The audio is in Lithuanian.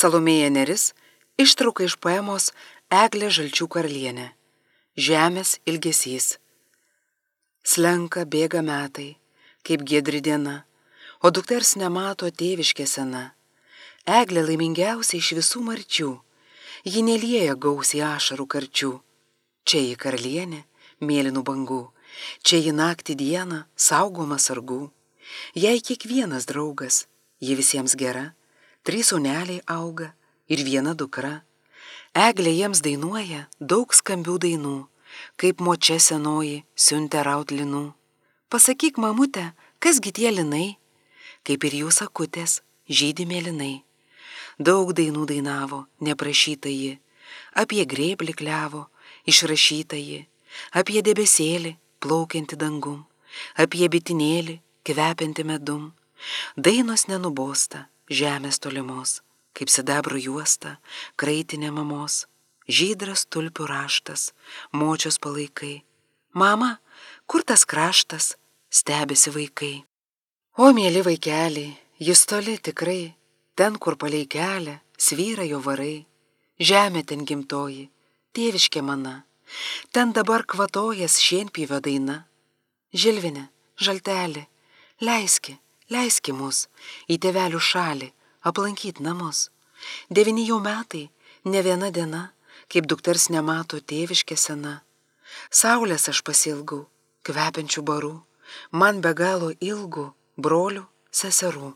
Salomėja Nėris, ištrauka iš poemos Eglė Žalčių karalienė. Žemės ilgesys. Slenka bėga metai, kaip giedri diena, o dukters nemato tėviškė sena. Eglė laimingiausia iš visų marčių, ji nelieja gausiai ašarų karčių. Čia ji karalienė, mėlynų bangų, čia ji naktį dieną saugoma sargų. Jei kiekvienas draugas, ji visiems gera, 3 sūneliai auga ir 1 dukra. Eglė jiems dainuoja daug skambių dainų, kaip močia senoji siuntė raut linų. Pasakyk, mamute, kasgi tie linai, kaip ir jūs akutės, žydi mėlynai. Daug dainų dainavo, neprašyta ji, apie grėblį klevo, išrašyta ji, apie debesėlį, plaukiantį dangum, apie bitinėlį, kvepiantį medum. Dainos nenubosta, žemės tolimos, kaip sidabro juosta, kraitinė mamos, žydras tulpių raštas, močios palaikai. Mama, kur tas kraštas, stebisi vaikai. O mėly vaikeliai, jis toli tikrai, ten, kur palei kelią, svyra jo varai. Žemė ten gimtoji, tėviškė mana, ten dabar kvatojas šienpjūvio daina. Žilvine, žaltelė, leiski mus į tėvelių šalį, aplankyt namus. 9 jau metai, ne viena diena, kaip dukters nemato tėviškė sena. Saulės aš pasilgau, kvepiančių barų, man be galo ilgų brolių, seserų.